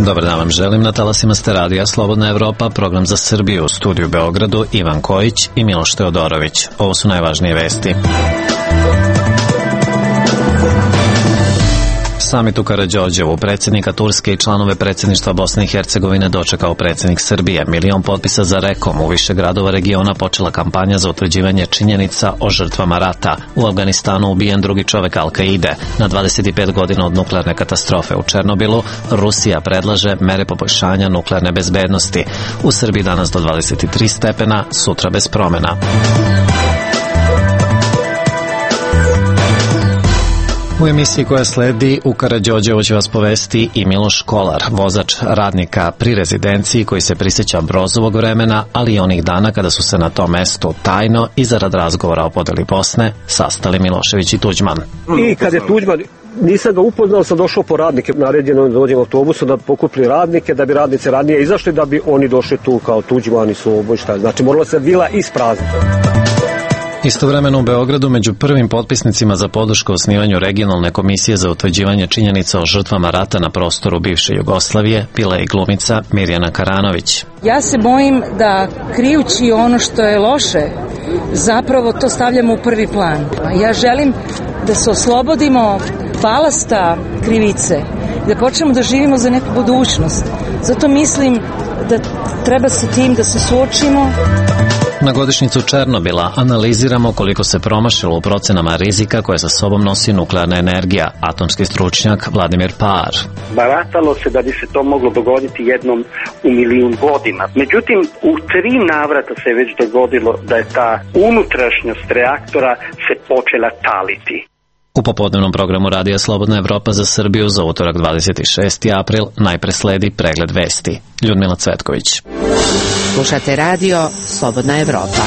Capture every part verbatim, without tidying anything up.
Dobar dan vam želim, na talasima ste radija Slobodna Evropa, program za Srbiju, u studiju u Beogradu Ivan Kojić i Miloš Teodorović. Ovo su najvažnije vesti. Samit u Karađorđevu, predsjednika Turske i članove predsjedništva Bosne i Hercegovine dočekao predsjednik Srbije. Milion potpisa za rekom. U više gradova regiona počela kampanja za utvrđivanje činjenica o žrtvama rata. U Afganistanu ubijen drugi čovek Al-Kaide. Na dvadeset pet godina od nuklearne katastrofe u Černobilu, Rusija predlaže mere poboljšanja nuklearne bezbednosti. U Srbiji danas do dvadeset tri stepena, sutra bez promena. U emisiji koja sledi u Karađorđevu će vas povesti i Miloš Kolar, vozač radnika pri rezidenciji koji se prisjeća Brozovog vremena, ali i onih dana kada su se na tom mestu tajno i zarad razgovora o podeli Bosne sastali Milošević i Tuđman. I kad je Tuđman, nisam ga upoznao, sam došao po radnike, naređeno da dođem autobusu da pokupi radnike, da bi radnice ranije izašli, da bi oni došli tu kao Tuđman i Soboj, šta. Znači morala se vila isprazniti. Istovremeno u Beogradu među prvim potpisnicima za podršku osnivanju regionalne komisije za utvrđivanje činjenica o žrtvama rata na prostoru bivše Jugoslavije bila je i glumica Mirjana Karanović. Ja se bojim da krijući ono što je loše, zapravo to stavljamo u prvi plan. Ja želim da se oslobodimo balasta krivice, da počnemo da živimo za neku budućnost. Zato mislim da treba sa tim da se suočimo. Na godišnjicu Černobila analiziramo koliko se promašilo u procenama rizika koje sa sobom nosi nuklearna energija, atomski stručnjak Vladimir Paar. Baratalo se da bi se to moglo dogoditi jednom u milijun godina. Međutim, u tri navrata se već dogodilo da je ta unutrašnjost reaktora se počela taliti. U popodnevnom programu Radija Slobodna Evropa za Srbiju za utorak dvadeset šesti april najpre sledi pregled vesti. Ljudmila Cvetković. Slušate radio Slobodna Evropa.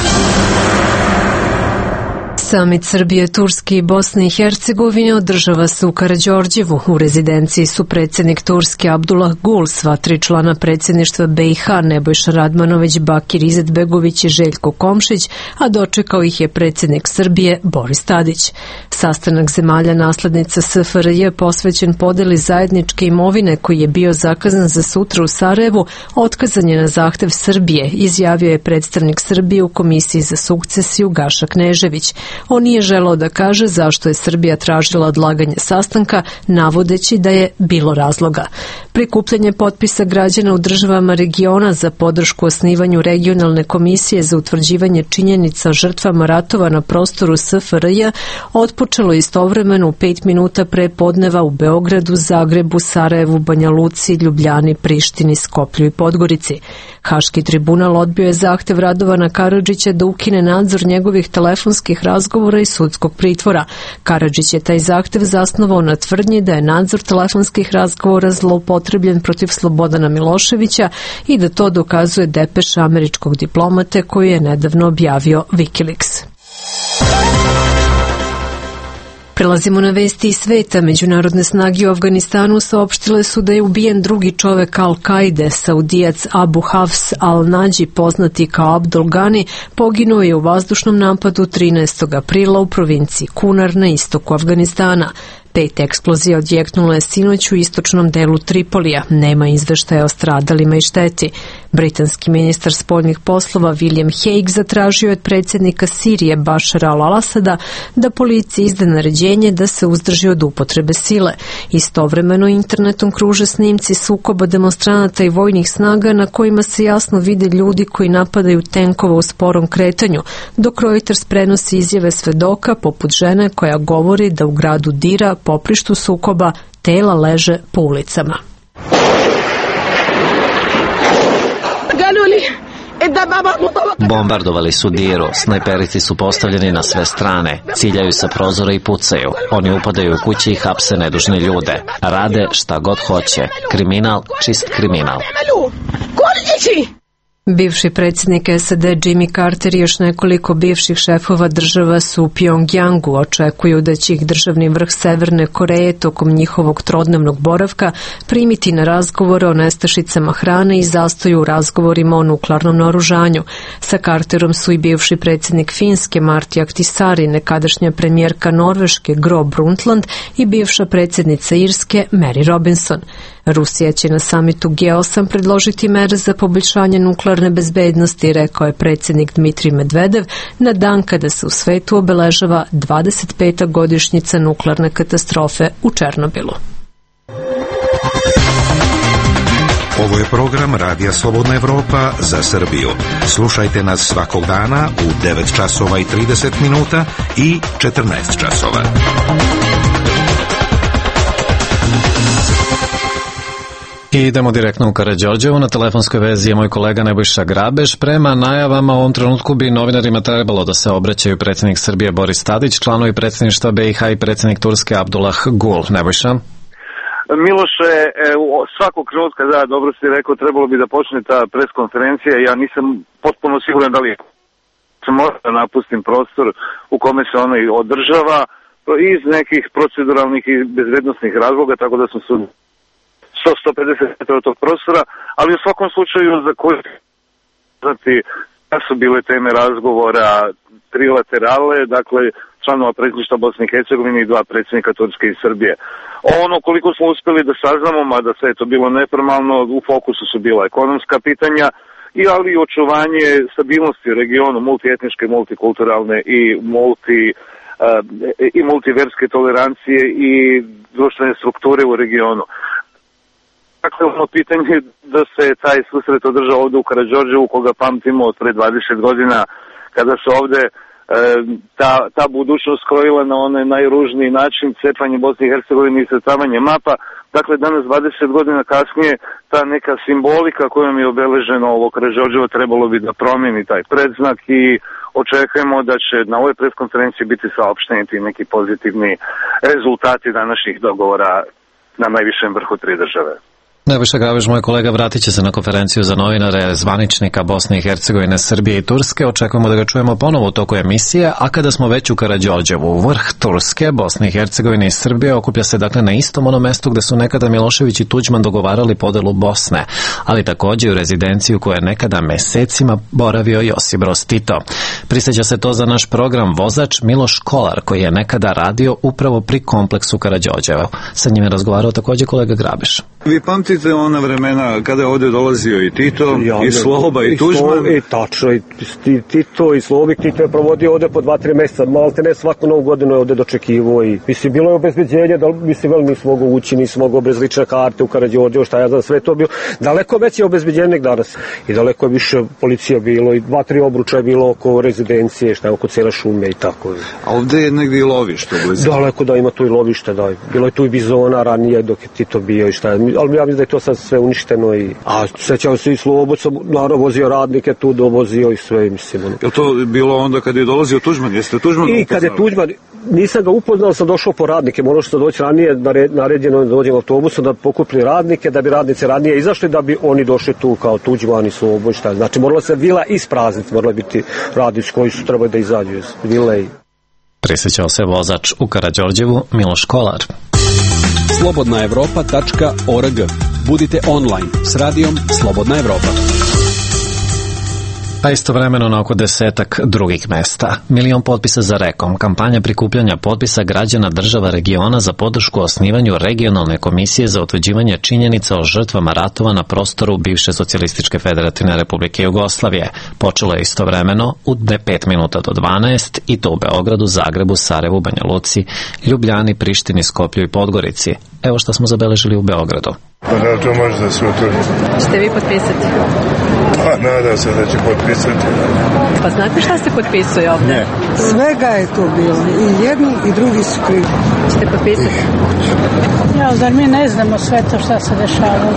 Samit Srbije, Turske i Bosne i Hercegovine održava se u Karađorđevu. U rezidenciji su predsjednik Turske Abdullah Gul, sva tri člana predsjedništva B i H Nebojša Radmanović, Bakir Izetbegović i Željko Komšić, a dočekao ih je predsjednik Srbije Boris Tadić. Sastanak zemalja naslednica S F R J posvećen podeli zajedničke imovine koji je bio zakazan za sutra u Sarajevu, otkazan je na zahtev Srbije, izjavio je predstavnik Srbije u Komisiji za sukcesiju Gaša Knežević. On nije želeo da kaže zašto je Srbija tražila odlaganje sastanka, navodeći da je bilo razloga. Prikupljanje potpisa građana u državama regiona za podršku osnivanju regionalne komisije za utvrđivanje činjenica o žrtvama ratova na prostoru S F R J otpočelo istovremeno u pet minuta pre podneva u Beogradu, Zagrebu, Sarajevu, Banja Luci, Ljubljani, Prištini, Skoplju i Podgorici. Haški tribunal odbio je zahtev Radovana Karadžića da ukine nadzor njegovih telefonskih razgovora i sudskog pritvora. Karadžić je taj zahtev zasnovao na tvrdnji da je nadzor telefonskih razgovora zloupotrebljen protiv Slobodana Miloševića i da to dokazuje depeša američkog diplomate koju je nedavno objavio Wikileaks. Prelazimo na vesti iz sveta. Međunarodne snage u Afganistanu saopštile su da je ubijen drugi čovek Al-Kaide. Saudijac Abu Hafs al-Nađi, poznati kao Abdul Gani, poginuo je u vazdušnom napadu trinaestog aprila u provinciji Kunar na istoku Afganistana. Pet eksplozija odjeknulo je sinoć u istočnom delu Tripolija. Nema izveštaja o stradalima i šteti. Britanski ministar spoljnih poslova William Hague zatražio od predsjednika Sirije Bašara al-Asada da policiji izda naređenje da se uzdrži od upotrebe sile. Istovremeno internetom kruže snimci sukoba demonstranata i vojnih snaga na kojima se jasno vide ljudi koji napadaju tenkova u sporom kretanju, dok Reuters prenosi izjave svedoka poput žene koja govori da u gradu Dira, poprištu sukoba, tela leže po ulicama. Bombardovali su Diru, snajperici su postavljeni na sve strane, ciljaju sa prozora i pucaju. Oni upadaju u kući i hapse nedužne ljude. Rade šta god hoće. Kriminal, čist kriminal. Bivši predsjednik S A D Jimmy Carter i još nekoliko bivših šefova država su u Pjongjangu. Očekuju da će ih državni vrh Severne Koreje tokom njihovog trodnevnog boravka primiti na razgovore o nestašicama hrane i zastoju u razgovorima o nuklearnom naoružanju. Sa Carterom su i bivši predsjednik Finske Marti Ahtisaari, nekadašnja premijerka Norveške Gro Brundtland i bivša predsjednica Irske Mary Robinson. Rusija će na samitu G osam predložiti mere za poboljšanje nuklearne bezbednosti, rekao je predsjednik Dmitrij Medvedev na dan kada se u svetu obeležava dvadeset peta godišnjica nuklearne katastrofe u Černobilu. Ovo je program Radija Slobodna Evropa za Srbiju. Slušajte nas svakog dana u devet časova i trideset minuta i četrnaest časova. I idemo direktno u Karađorđevo. Na telefonskoj vezi je moj kolega Nebojša Grabež. Prema najavama u ovom trenutku bi novinarima trebalo da se obraćaju predsjednik Srbije Boris Tadić, članovi predsjedništva B i H i predsjednik Turske Abdullah Gul. Nebojša? Miloše, svakog trenutka, da, dobro si rekao, trebalo bi da počne ta preskonferencija. Ja nisam potpuno siguran da li se mora da napustim prostor u kome se ona održava iz nekih proceduralnih i bezbednosnih razloga, tako da sam se sto do sto pedeset metara od tog prostora, ali u svakom slučaju za koji znati da su bile teme razgovora trilaterale, dakle članova predsjedništva Bosne i Hercegovine i dva predsjednika Turske i Srbije. Ono koliko smo uspeli da saznamo, mada sve je to bilo neformalno, u fokusu su bila ekonomska pitanja, i ali i očuvanje stabilnosti u regionu, multietničke, multikulturalne i multi uh, i multiverske tolerancije i društvene strukture u regionu. Dakle, ono pitanje da se taj susret održao ovde u Karađorđevu, koga pamtimo od pre dvadeset godina, kada se ovde e, ta, ta budućnost krojila na onaj najružniji način, cepanje Bosne i Hercegovine i srcavanje mapa. Dakle, danas dvadeset godina kasnije, ta neka simbolika kojom je obeleženo ovo Karađorđevo trebalo bi da promeni taj predznak i očekujemo da će na ovoj preskonferenciji biti saopšteni ti neki pozitivni rezultati današnjih dogovora na najvišem vrhu tri države. Nebojša Grabež, moj kolega, vratit će se na konferenciju za novinare zvaničnika Bosne i Hercegovine, Srbije i Turske. Očekujemo da ga čujemo ponovo u toku emisije, a kada smo već u Karađorđevu, vrh Turske, Bosne i Hercegovine i Srbije okuplja se dakle na istom onom mestu gde su nekada Milošević i Tuđman dogovarali podelu Bosne, ali takođe u rezidenciju koja je nekada mesecima boravio Josip Broz Tito. Prisjeća se to za naš program vozač Miloš Kolar, koji je nekada radio upravo pri kompleksu Karađorđevo. Sa njim je razgovarao takođe kolega Grabež. Vi pamtite ona vremena kada je ovde dolazio i Tito, ja, i Sloba, i, i Tuđman? I tačno, i Tito, i Slobik. Tito je provodio ovde po dva, tri meseca, malte ne svaku novu godinu je ovde dočekivo i mislim, bilo je obezbeđenje, da mislim, veli nisi mogao ući, nisi mogao bez lične karte u Karađorđevo, šta ja znam, sve to bilo. Daleko veće obezbeđenje danas i daleko je više policija bilo i dva, tri obruča je bilo oko rezidencije, šta je oko cele šume i tako. A ovde je negdje i lovište? Daleko da ima tu i lovište, da. Bilo je tu i bizona ranije dok je Tito bio i šta je. Ali ja mislim da je to sad sve uništeno i a sećam se i Sloboda sam naravno vozio radnike tu, dovozio i sve, mislim. Je to bilo onda kad je dolazio Tuđman? Jeste Tuđman I kad je Tuđman, nisam ga upoznao, sam došao po radnike, morao što doći ranije, naređeno da dođem autobusom da pokupili radnike, da bi radnice ranije izašli, da bi oni došli tu kao Tuđman i Slobod, šta. Znači morala se vila isprazniti, morala biti radnici koji su trebali da izađu iz vile. I... Prisjećao se vozač u Karađorđevu Miloš Kolar. slobodna evropa tačka org. Budite online s radijom Slobodna Evropa. Pa istovremeno na oko desetak drugih mesta. Milion potpisa za Rekom, kampanja prikupljanja potpisa građana država regiona za podršku osnivanju regionalne komisije za utvrđivanje činjenica o žrtvama ratova na prostoru bivše socijalističke federativne republike Jugoslavije. Počelo je istovremeno u pet minuta do dvanaest i to u Beogradu, Zagrebu, Sarajevu, Banja Luci, Ljubljani, Prištini, Skoplju i Podgorici. Evo što smo zabeležili u Beogradu. Pa da, to može da se utvrdi. Ćete vi potpisati? Pa nadam se da će potpisati. Pa znate šta se potpisuje ovdje? Ne. Svega je to bilo. I jedni i drugi su krivi. Ćete potpisati? Ja, zar mi ne znamo sve to šta se dešava?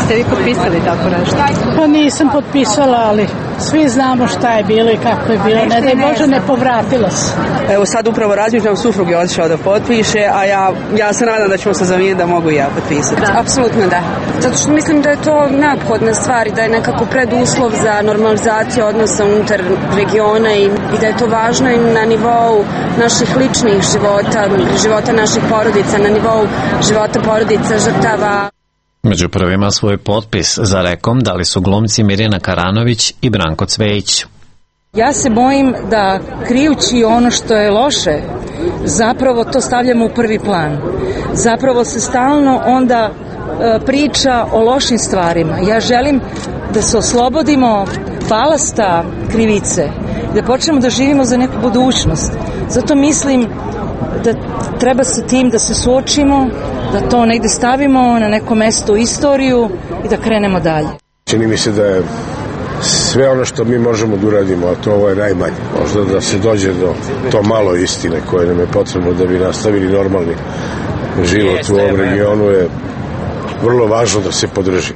Ste vi potpisali tako nešto? Pa nisam potpisala, ali svi znamo šta je bilo i kako je bilo. Ne daj Bože, ne povratila se. Evo sad upravo razmišljam, suprug je otišao da potpiše, a ja, ja se nadam da ćemo se zamijeniti da mogu i ja potpisati. Da. Apsolutno da. Zato što mislim da je to neophodna stvar i da je nekako preduslov za normalizaciju odnosa unutar regiona i, i da je to važno i na nivou naših ličnih života, života naših porodica, na nivou života porodica žrtava. Među prvima svoj potpis za rekom dali su glumci Mirjana Karanović i Branko Cvejić. Ja se bojim da krijući ono što je loše, zapravo to stavljamo u prvi plan. Zapravo se stalno onda e, priča o lošim stvarima. Ja želim da se oslobodimo balasta krivice, da počnemo da živimo za neku budućnost. Zato mislim da treba sa tim da se suočimo, da to negde stavimo na neko mesto u istoriju i da krenemo dalje. Čini mi se da je sve ono što mi možemo da uradimo, a to ovo je najmanje. Možda da se dođe do to malo istine koje nam je potrebno da bi nastavili normalni život u ovom regionu, je vrlo važno da se podrži.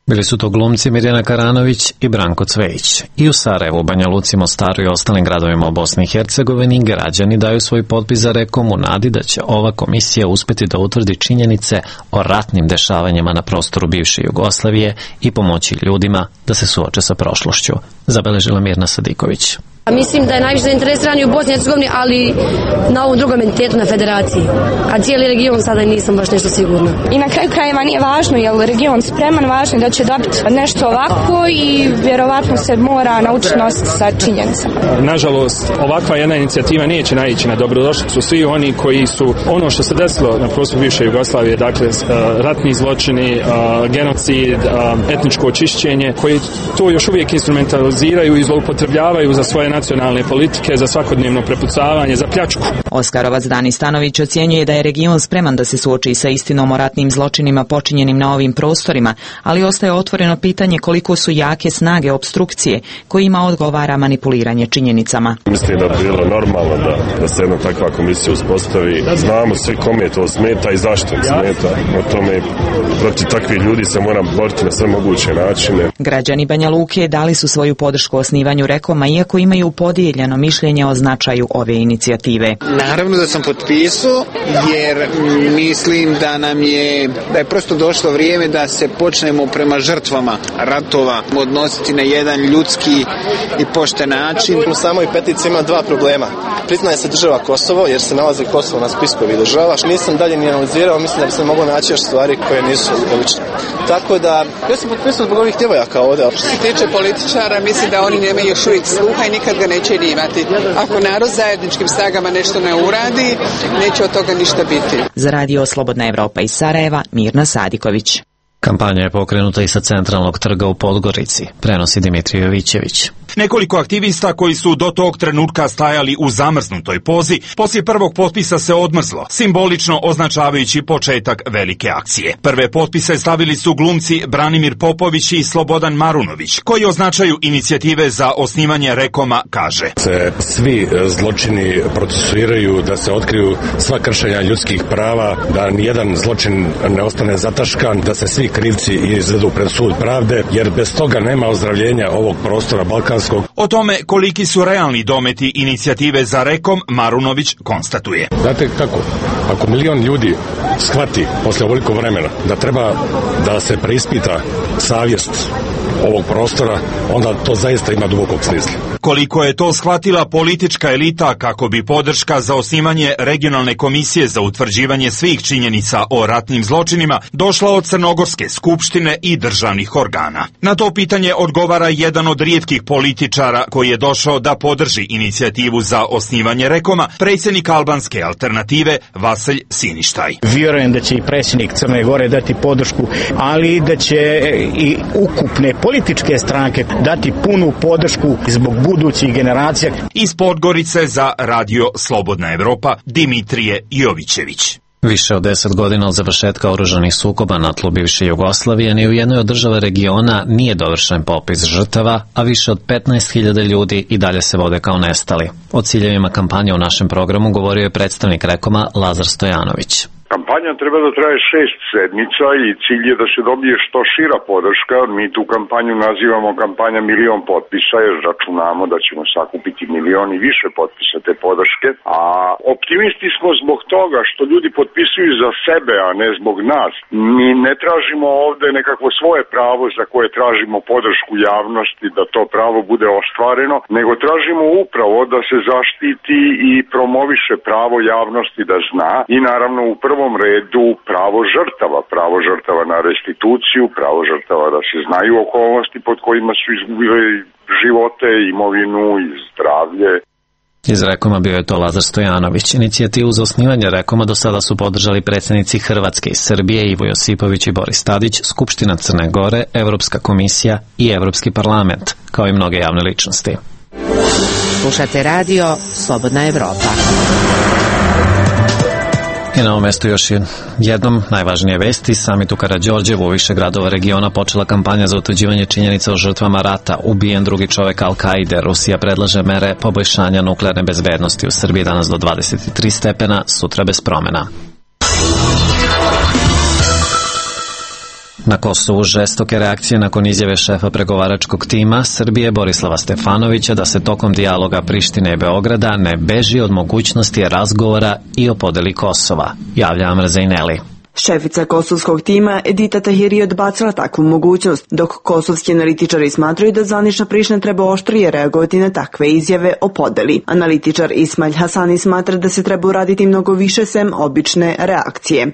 Bili su to glumci Mirjana Karanović i Branko Cvejić. I u Sarajevu, Banja Luci, Mostaru i ostalim gradovima u Bosni i Hercegovini građani daju svoj potpis za rekom u nadi da će ova komisija uspeti da utvrdi činjenice o ratnim dešavanjima na prostoru bivše Jugoslavije i pomoći ljudima da se suoče sa prošlošću, zabeležila Mirna Sadiković. Mislim da je najviše zainteresirani u Bosni i Hercegovini, ali na ovom drugom entitetu, na federaciji. A cijeli region sada nisam baš nešto sigurna. I na kraju krajeva nije važno je li region spreman, važno je da će dobiti nešto ovako i vjerovatno se mora naučiti nositi sa činjenicama. Nažalost, ovakva jedna inicijativa neće naići na dobrodošlicu. Svi oni koji su ono što se desilo na prostoru bivše Jugoslavije, dakle ratni zločini, genocid, etničko očišćenje, koji to još uvijek instrumentaliziraju i zloupotrebljavaju za svoje nacionalne politike, za svakodnevno prepucavanje, za pljačku. Oskarovac Dani Stanović ocjenjuje da je region spreman da se suoči sa istinom o ratnim zločinima počinjenim na ovim prostorima, ali ostaje otvoreno pitanje koliko su jake snage obstrukcije kojima odgovara manipuliranje činjenicama. Mislim da bi bilo normalno da, da se jedna takva komisija uspostavi. Znamo sve kome to smeta i zašto im smeta. O tome protiv takvih ljudi se mora boriti na sve moguće načine. Građani Banja Luke dali su svoju podršku osnivanju rekoma, iako imaju podijeljeno mišljenje o značaju ove inicijative. Naravno da sam potpisao, jer mislim da nam je, da je prosto došlo vrijeme da se počnemo prema žrtvama ratova odnositi na jedan ljudski i pošten način. U samoj peticiji ima dva problema. Priznaje se država Kosovo, jer se nalazi Kosovo na spiskovi država. Nisam dalje ni analizirao, mislim da bi se moglo naći još stvari koje nisu logične. Tako da, ja sam potpisao zbog ovih djevojaka ovdje. Što se tiče političara, mislim da oni nemaju još uvijek sluha i nikad ga neće ni imati. Ako narod zajedničkim snagama nešto ne uradi, neće od toga ništa biti. Za radio Slobodna Evropa iz Sarajeva, Mirna Sadiković. Kampanja je pokrenuta i sa centralnog trga u Podgorici, prenosi Dimitrij Jovićević. Nekoliko aktivista koji su do tog trenutka stajali u zamrznutoj pozi, poslije prvog potpisa se odmrzlo, simbolično označavajući početak velike akcije. Prve potpise stavili su glumci Branimir Popović i Slobodan Marunović, koji označaju inicijative za osnivanje rekoma, kaže. Se svi zločini procesuiraju, da se otkriju sva kršenja ljudskih prava, da nijedan zločin ne ostane zataškan, da se svi krivci izvedu pred sud pravde, jer bez toga nema ozdravljenja ovog prostora Balkanskog. O tome koliki su realni dometi inicijative za rekom, Marunović konstatuje. Znate kako? Ako milion ljudi shvati posle ovoliko vremena da treba da se preispita savjest ovog prostora, onda to zaista ima dubokog smisla. Koliko je to shvatila politička elita kako bi podrška za osnivanje regionalne komisije za utvrđivanje svih činjenica o ratnim zločinima došla od Crnogorske skupštine i državnih organa. Na to pitanje odgovara jedan od rijetkih političara koji je došao da podrži inicijativu za osnivanje rekoma, predsjednik albanske alternative Vasilj Siništaj. Vjerujem da će i predsjednik Crne Gore dati podršku, ali da će i ukupne političke stranke dati punu podršku zbog budućih generacija. Iz Podgorice za radio Slobodna Evropa, Dimitrije Jovićević. Više od deset godina od završetka oružanih sukoba na tlu bivše Jugoslavije ni u jednoj od država regiona nije dovršen popis žrtava, a više od petnaest hiljada ljudi i dalje se vode kao nestali. O ciljevima kampanje u našem programu govorio je predstavnik rekoma Lazar Stojanović. Kampanja treba da traje šest sedmica i cilj je da se dobije što šira podrška. Mi tu kampanju nazivamo kampanja milion potpisa jer računamo da ćemo sakupiti milion i više potpisa te podrške. A optimisti smo zbog toga što ljudi potpisuju za sebe, a ne zbog nas. Mi ne tražimo ovde nekakvo svoje pravo za koje tražimo podršku javnosti da to pravo bude ostvareno, nego tražimo upravo da se zaštiti i promoviše pravo javnosti da zna i naravno u prvom redu pravo žrtava, pravo žrtava na restituciju, pravo žrtava da se znaju okolnosti pod kojima su izgubili živote, imovinu i zdravlje. Iz Rekoma bio je to Lazar Stojanović. Inicijativu za osnivanje Rekoma do sada su podržali predsjednici Hrvatske i Srbije Ivo Josipović i Boris Tadić, Skupština Crne Gore, Evropska komisija i Evropski parlament, kao i mnoge javne ličnosti. Slušate radio Slobodna Evropa. I na ovom mestu još jednom najvažnije vesti. Samit u Karađorđevu u više gradova regiona počela kampanja za utvrđivanje činjenica o žrtvama rata. Ubijen drugi čovek Al-Kaide. Rusija predlaže mere poboljšanja nuklearne bezbednosti u Srbiji danas do dvadeset tri stepena, sutra bez promena. Na Kosovu žestoke reakcije nakon izjave šefa pregovaračkog tima Srbije Borislava Stefanovića da se tokom dijaloga Prištine i Beograda ne beži od mogućnosti razgovora i o podeli Kosova, javlja Amra Zejneli. Šefica kosovskog tima Edita Tahiri je odbacila takvu mogućnost, dok kosovski analitičari smatraju da zvanična Priština treba oštrije reagovati na takve izjave o podeli. Analitičar Ismail Hasani smatra da se treba uraditi mnogo više sem obične reakcije.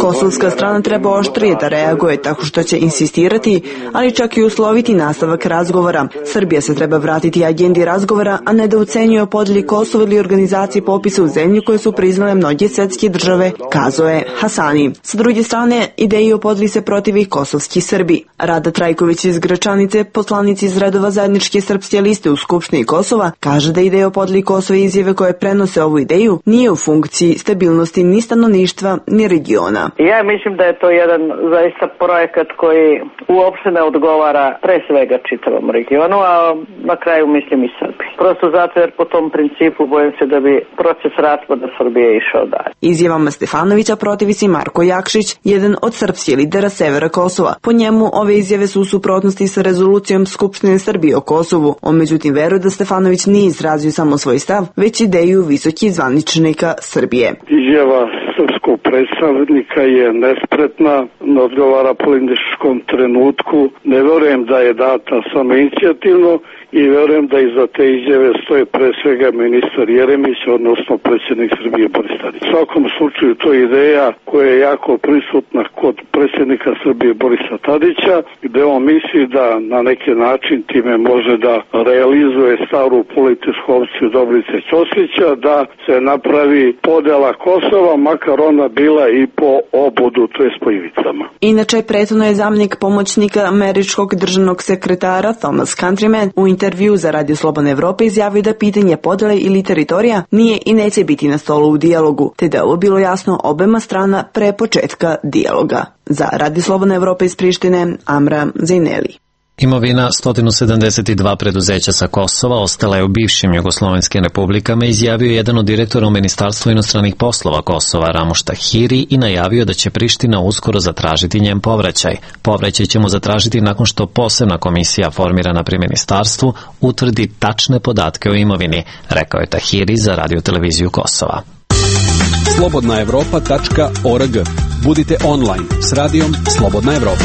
Kosovska strana treba oštrije da reaguje tako što će insistirati, ali čak i usloviti nastavak razgovora. Srbija se treba vratiti agendi razgovora, a ne da ucenjuje o podeli Kosova ili organizaciji popisa u zemlju koje su priznale mnoge svetske države, kazao je Hasani. Sa druge strane, ideji o podeli se protivi i kosovski Srbi. Rada Trajković iz Gračanice, poslanici iz redova zajedničke srpske liste u Skupštini Kosova, kaže da ideja o podeli Kosova i izjave koje prenose ovu ideju nije u funkciji stabilnosti ni stanovništva ni regiona. Ja mislim da je to jedan zaista projekat koji uopšte ne odgovara pre svega čitavom regionu, a na kraju mislim i Srbiji. Prosto zato jer po tom principu bojim se da bi proces raspada Srbije išao dalje. Izjavama Stefanovića protivi se Marko Jakšić, jedan od srpskih lidera severa Kosova. Po njemu ove izjave su u suprotnosti sa rezolucijom Skupštine Srbije o Kosovu. On međutim veruje da Stefanović nije izrazio samo svoj stav, već ideju visokih zvaničnika Srbije. Izjava srpskog predstavnika je nespretna, ne odgovara političkom trenutku. Ne verujem da je data samo inicijativno i verujem da iza te izjave stoje pre svega ministar Jeremić, odnosno predsjednik Srbije Boris Tadić. U svakom slučaju to je ideja koja je jako prisutna kod predsjednika Srbije Borisa Tadića, gde on misli da na neki način time može da realizuje staru političku opciju Dobrice Ćosića, da se napravi podela Kosova, makar ona bila i po obodu, to je po ivicama. Inače, prethodno je zamjenik pomoćnika američkog državnog sekretara Thomas Countryman u intervju za Radio Slobodna Evropa izjavio da pitanje podele ili teritorija nije i neće biti na stolu u dijalogu, te da je ovo bilo jasno obema strana pre početka dijaloga. Za Radio Slobodna Evropa iz Prištine, Amra Zejneli. Imovina sto sedamdeset dva preduzeća sa Kosova ostala je u bivšim jugoslovenskim republikama, izjavio jedan od direktora u Ministarstvu inostranih poslova Kosova Ramuš Tahiri i najavio da će Priština uskoro zatražiti njen povraćaj. Povraćaj ćemo zatražiti nakon što posebna komisija formirana pri ministarstvu utvrdi tačne podatke o imovini, rekao je Tahiri za radioteleviziju Kosova. slobodna evropa tačka org. Budite online s radijom Slobodna Evropa.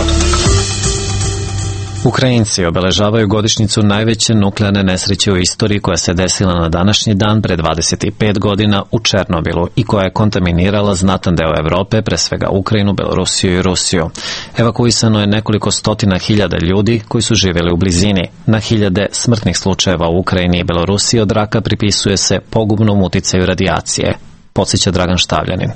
Ukrajinci obeležavaju godišnjicu najveće nuklearne nesreće u istoriji koja se desila na današnji dan pre dvadeset pet godina u Černobilu i koja je kontaminirala znatan deo Evrope, pre svega Ukrajinu, Belorusiju i Rusiju. Evakuisano je nekoliko stotina hiljada ljudi koji su živjeli u blizini. Na hiljade smrtnih slučajeva u Ukrajini i Belorusiji od raka pripisuje se pogubnom uticaju radijacije, podsjeća Dragan Štavljanin.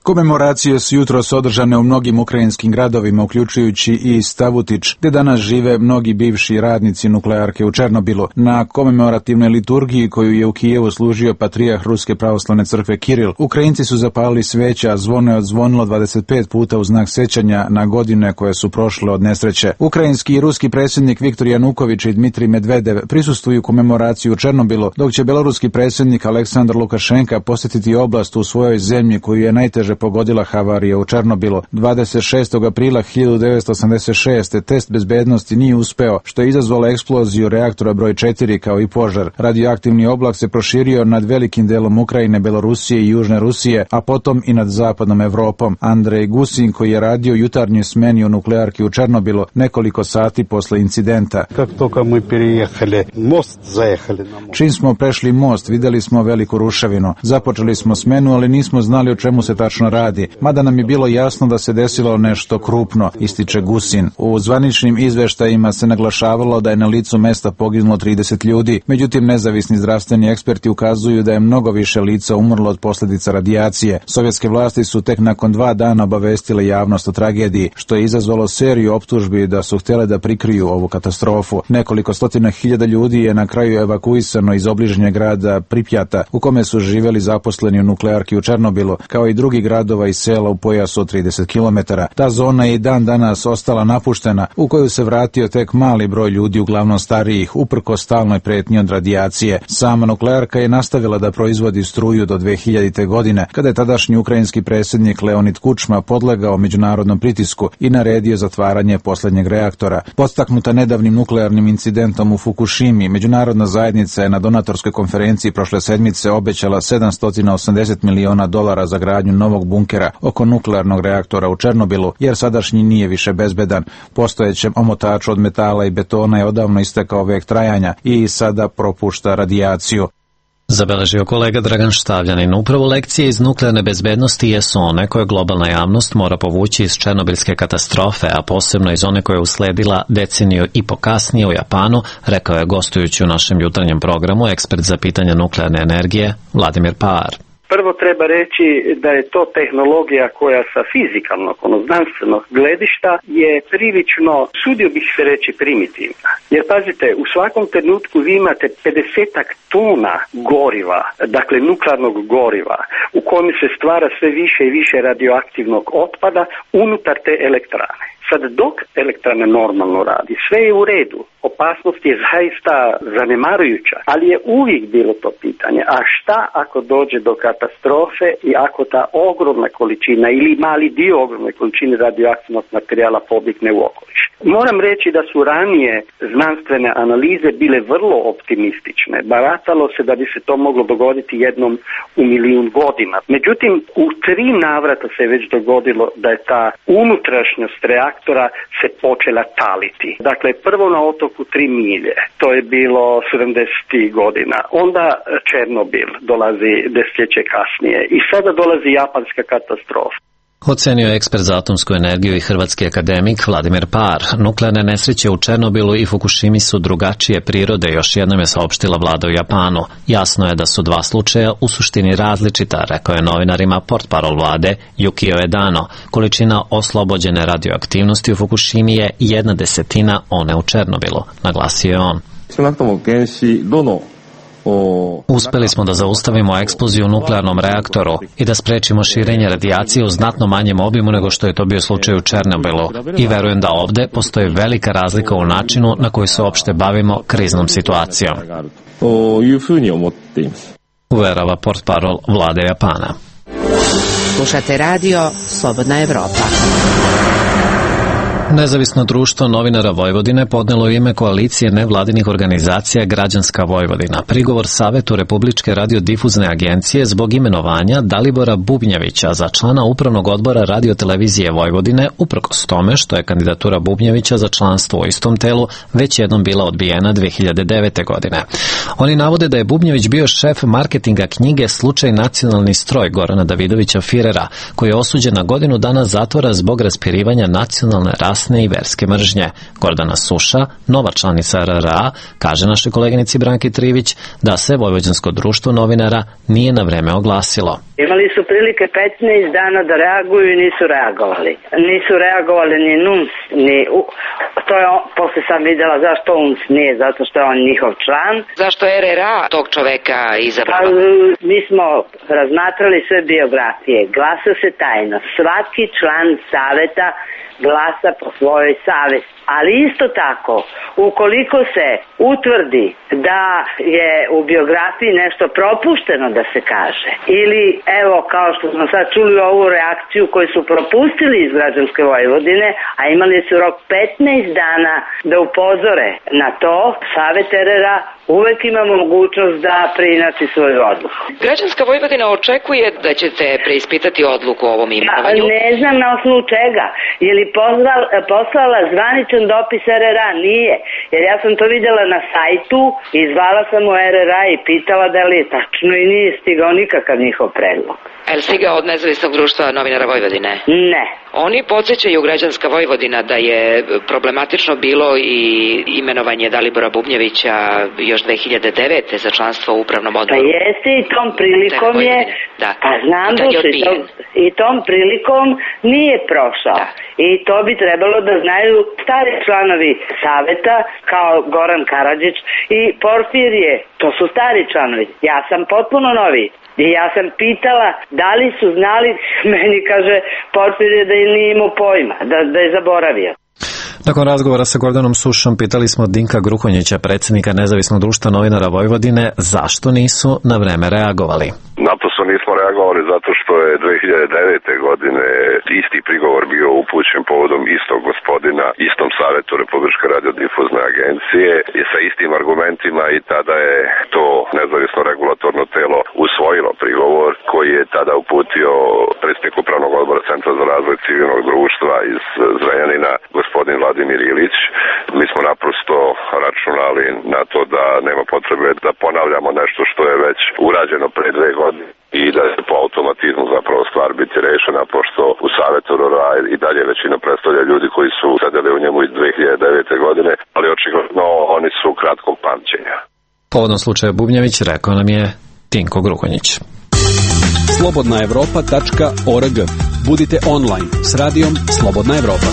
Komemoracije su jutros održane u mnogim ukrajinskim gradovima, uključujući i Stavutić, gde danas žive mnogi bivši radnici nuklearke u Černobilu. Na komemorativnoj liturgiji koju je u Kijevu služio patrijarh Ruske pravoslavne crkve Kiril, Ukrajinci su zapalili sveća, a zvono je odzvonilo dvadeset pet puta u znak sećanja na godine koje su prošle od nesreće. Ukrajinski i ruski predsjednik Viktor Januković i Dmitrij Medvedev prisustvuju komemoraciju u Černobilu, dok će beloruski predsjednik Aleksandar Lukašenka posjetiti oblast u svojoj zemlji koju je najteže pogodila havarija u Černobilu. dvadeset šestog aprila hiljadu devetsto osamdeset šeste. test bezbednosti nije uspeo, što je izazvalo eksploziju reaktora broj četiri kao i požar. Radioaktivni oblak se proširio nad velikim delom Ukrajine, Belorusije i Južne Rusije, a potom i nad zapadnom Evropom. Andrej Gusin, koji je radio jutarnjoj smeni u nuklearki u Černobilu nekoliko sati posle incidenta. Čim smo prešli most, videli smo veliku ruševinu. Započeli smo smenu, ali nismo znali o čemu se tačno radi, mada nam je bilo jasno da se desilo nešto krupno, ističe Gusin. U zvaničnim izveštajima se naglašavalo da je na licu mesta poginulo trideset ljudi, međutim nezavisni zdravstveni eksperti ukazuju da je mnogo više lica umrlo od posljedica radijacije. Sovjetske vlasti su tek nakon dva dana obavestile javnost o tragediji, što je izazvalo seriju optužbi da su htjele da prikriju ovu katastrofu. Nekoliko stotina hiljada ljudi je na kraju evakuisano iz obližnjeg grada Pripjata, u kome su živjeli zaposleni u nuklearki u Černobilu, kao i drugi gradova i sela u pojasu od trideset kilometara. Ta zona je i dan danas ostala napuštena, u koju se vratio tek mali broj ljudi, uglavnom starijih, uprko stalnoj pretnji od radijacije. Sama nuklearka je nastavila da proizvodi struju do dve hiljadite. godine, kada je tadašnji ukrajinski predsjednik Leonid Kučma podlegao međunarodnom pritisku i naredio zatvaranje posljednjeg reaktora. Podstaknuta nedavnim nuklearnim incidentom u Fukushimi, međunarodna zajednica je na donatorskoj konferenciji prošle sedmice obećala sedamsto osamdeset miliona dolara za gradnju novog bunkera oko nuklearnog reaktora u Černobilu, jer sadašnji nije više bezbedan. Postojećem omotaču od metala i betona je odavno istekao vek trajanja i sada propušta radijaciju. Zabeležio kolega Dragan Štavljanin. Upravo lekcije iz nuklearne bezbednosti jesu one koje globalna javnost mora povući iz černobilske katastrofe, a posebno iz one koja je usledila deceniju i po kasnije u Japanu, rekao je gostujući u našem jutarnjem programu ekspert za pitanje nuklearne energije Vladimir Paar. Prvo treba reći da je to tehnologija koja sa fizikalnog, ono znanstvenog gledišta je prilično, sudio bih se reći, primitivna. Jer pazite, u svakom trenutku vi imate pedesetak tona goriva, dakle nuklearnog goriva, u kojem se stvara sve više i više radioaktivnog otpada unutar te elektrane. Sad dok elektrana normalno radi, sve je u redu, opasnost je zaista zanemarujuća, ali je uvijek bilo to pitanje, a šta ako dođe do katastrofe i ako ta ogromna količina ili mali dio ogromne količine radioaktivnog materijala pobjegne u okoliš. Moram reći da su ranije znanstvene analize bile vrlo optimistične, baratalo se da bi se to moglo dogoditi jednom u milijun godina. Međutim, u tri navrata se već dogodilo da je ta unutrašnjost reaktora se počela taliti. Dakle, prvo na otoku Tri milje, to je bilo sedamdesetih godina, onda Černobil dolazi desetljeće kasnije i sada dolazi japanska katastrofa. Ocenio je ekspert za atomsku energiju i hrvatski akademik Vladimir Paar. Nuklearne nesreće u Černobilu i Fukushimi su drugačije prirode, još jednom je saopštila vlada u Japanu. Jasno je da su dva slučaja u suštini različita, rekao je novinarima portparol vlade Yukio Edano. Količina oslobođene radioaktivnosti u Fukushimi je jedna desetina one u Černobilu, naglasio je on. Uspeli smo da zaustavimo eksploziju u nuklearnom reaktoru i da sprečimo širenje radijacije u znatno manjem obimu nego što je to bio slučaj u Černobilu. I verujem da ovde postoji velika razlika u načinu na koji se uopšte bavimo kriznom situacijom. Uverava portparol vlade Japana. Slušate radio Slobodna Evropa. Nezavisno društvo novinara Vojvodine podnelo u ime koalicije nevladinih organizacija Građanska Vojvodina prigovor Savetu Republičke radiodifuzne agencije zbog imenovanja Dalibora Bubnjevića za člana upravnog odbora Radiotelevizije Vojvodine, uprkos tome što je kandidatura Bubnjevića za članstvo u istom telu već jednom bila odbijena dve hiljade devete. godine. Oni navode da je Bubnjević bio šef marketinga knjige Slučaj nacionalni stroj Gorana Davidovića Firera, koji je osuđen na godinu dana zatvora zbog raspirivanja nacionalne rasne rasne i verske mržnje. Gordana Suša, nova članica R R A, kaže našoj koleginici Branki Trivić da se Vojvođansko društvo novinara nije na vreme oglasilo. Imali su prilike petnaest dana da reaguju i nisu reagovali. Nisu reagovali ni N U N S, ni... U... To je on, posle sam videla zašto U N S nije, zato što je on njihov član. Zašto R R A tog čoveka izabrala? Pa, mi smo razmatrali sve biografije. Glasa se tajno. Svaki član saveta glasa po svojoj savesti. Ali isto tako, ukoliko se utvrdi da je u biografiji nešto propušteno da se kaže, ili evo kao što smo sad čuli ovu reakciju koju su propustili iz Građanske Vojvodine, a imali su rok petnaest dana da upozore na to, Savet R R A uvek ima mogućnost da preinači svoju odluku. Građanska Vojvodina očekuje da ćete preispitati odluku o ovom imenovanju? Ja, ne znam na osnovu čega. Je li poslala, poslala zvaničan dopis R R A? Nije. Jer ja sam to videla na sajtu i zvala sam u R R A i pitala da li je tačno i nije stigao nikakav njihov predlog. Je li stigao od Nezavisnog društva novinara Vojvodine? Ne. Oni podsjećaju Građanska Vojvodina da je problematično bilo i imenovanje Dalibora Bubnjevića još dve hiljade devete za članstvo u upravnom odboru. Pa jeste i tom prilikom je, da. Pa znam da i, tom, i tom prilikom nije prošao. Da. I to bi trebalo da znaju stari članovi saveta kao Goran Karadžić i Porfirije. To su stari članovi. Ja sam potpuno novi. I ja sam pitala da li su znali, meni kaže Porfirije da je nije imao pojma, da, da je zaboravio. Nakon razgovora sa Gordanom Sušom pitali smo Dinka Gruhonjića, predsjednika Nezavisnog društva novinara Vojvodine, zašto nisu na vreme reagovali. Naprosto nismo reagovali zato što je dve hiljade devete. godine isti prigovor bio upućen povodom istog gospodina, istom Savetu Republičke radiodifuzne agencije i sa istim argumentima i tada je to nezavisno regulatorno telo usvojilo prigovor koji je tada uputio predsjednik upravnog odbora Centra za razvoj civilnog društva iz Zrenjanina, gospodin Vladimir Ilić. Mi smo naprosto računali na to da nema potrebe da ponavljamo nešto što je već urađeno pre dve godine i da će po automatizmu zapravo stvar biti rešena, pošto u Savetu R R A i dalje većina predstavlja ljudi koji su sedeli u njemu iz dve hiljade devete. godine, ali očigledno oni su kratkog pamćenja. Povodom slučaja Bubnjević rekao nam je Tinko Gruhonjić. slobodna evropa tačka org. Budite online s radijom Slobodna Evropa.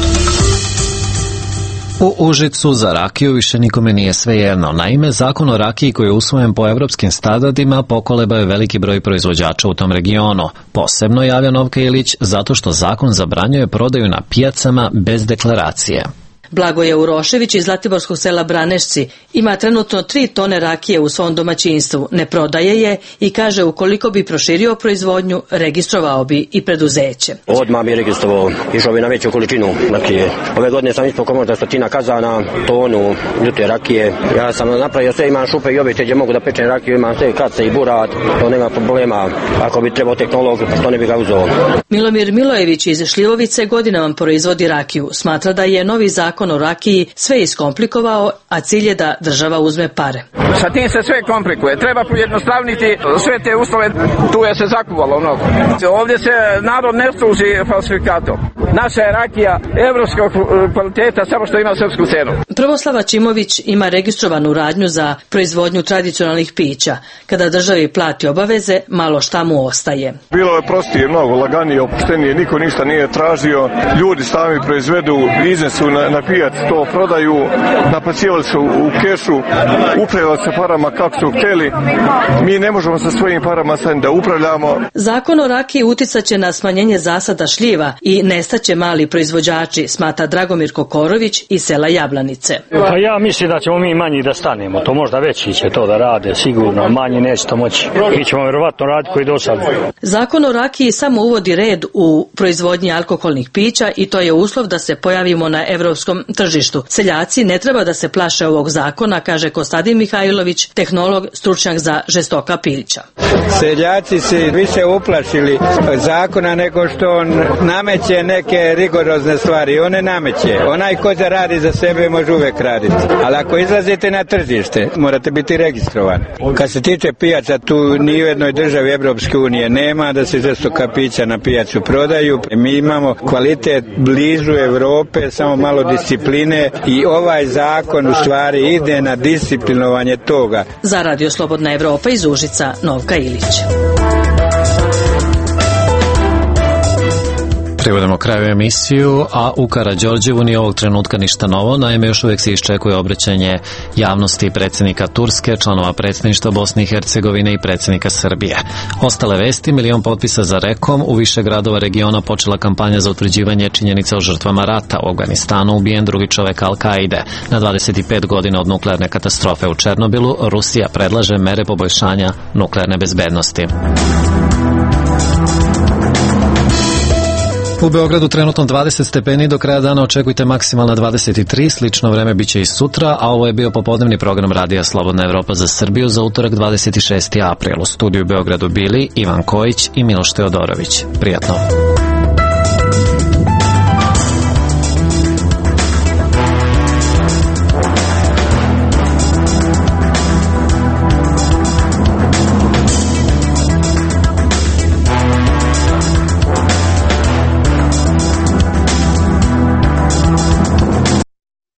U Užicu za rakiju više nikome nije svejedno. Naime, zakon o rakiji koji je usvojen po evropskim standardima pokolebao je veliki broj proizvođača u tom regionu. Posebno javlja Novka Ilić zato što zakon zabranjuje prodaju na pijacama bez deklaracije. Blagoje Urošević iz Zlatiborskog sela Branešci ima trenutno tri tone rakije u svom domaćinstvu, ne prodaje je i kaže ukoliko bi proširio proizvodnju, registrovao bi i preduzeće. Odmah bi registrovao, išao bi na veću količinu rakije. Ove godine sam ispao komorda stotina kazana, tonu ljute rakije. Ja sam napravio sve, imam šupe i objekte gdje mogu da pečem rakiju, imam sve kace i burat, to nema problema. Ako bi trebao tehnolog, to ne bi ga uzeo. Milomir Milojević iz Šljivovice godinama proizvodi rakiju. Smatra da je novi zakon o rakiji sve iskomplikovao, a cilj je da država uzme pare. Sa tim se sve komplikuje. Treba pojednostavniti sve te uslove, tu je se zakuvalo mnogo. Ovdje se narod ne služi falsifikatom. Naša je rakija evropskog kvaliteta, samo što ima srpsku cenu. Prvoslava Čimović ima registrovanu radnju za proizvodnju tradicionalnih pića. Kada državi plati obaveze, malo šta mu ostaje. Bilo je prostije, mnogo laganije, opuštenije, niko ništa nije tražio. Ljudi sami proizvedu, iznesu na, na pijac, to prodaju, naplaćivali su u kešu, upravljali se parama kako su htjeli. Mi ne možemo sa svojim parama sad da upravljamo. Zakon o rakiji uticat će na smanjenje zasada šljiva i nestaće mali proizvođači, smatra Dragomir Kokorović iz sela Jablanice. Pa ja mislim da ćemo mi manji da stanemo, to možda veći će to da rade, sigurno, manji neće to moći. Mi ćemo vjerovatno raditi koji do sad. Zakon o rakiji samo uvodi red u proizvodnji alkoholnih pića i to je uslov da se pojavimo na evropskom srpskom tržištu. Seljaci ne treba da se plaše ovog zakona, kaže Kostadin Mihajlović, tehnolog, stručnjak za žestoka pića. Seljaci se više uplašili zakona nego što on nameće neke rigorozne stvari. On ne nameće. Onaj ko zaradi za sebe može uvek raditi. Ali ako izlazite na tržište, morate biti registrovani. Kad se tiče pijaca, tu ni u jednoj državi Evropske unije nema da se žestoka pića na pijacu prodaju. Mi imamo kvalitet blizu Evrope, samo malo discipline i ovaj zakon u stvari ide na disciplinovanje toga. Za Radio Slobodna Evropa iz Užica, Novka Ilić. Privodimo kraju emisiju, a u Karađorđevu ni ovog trenutka ništa novo. Naime, još uvijek se iščekuje obraćanje javnosti predsjednika Turske, članova predsjedništva Bosne i Hercegovine i predsjednika Srbije. Ostale vesti: milion potpisa za rekom, u više gradova regiona počela kampanja za utvrđivanje činjenica o žrtvama rata. U Afganistanu ubijen drugi čovek Al-Kaide. Na dvadeset pet godina od nuklearne katastrofe u Černobilu, Rusija predlaže mere poboljšanja nuklearne bezbednosti. U Beogradu trenutno dvadeset stepeni, do kraja dana očekujte maksimalna dvadeset tri, slično vreme biće i sutra, a ovo je bio popodnevni program Radija Slobodna Evropa za Srbiju za utorak dvadeset šesti april. U studiju u Beogradu bili Ivan Kojić i Miloš Teodorović. Prijatno.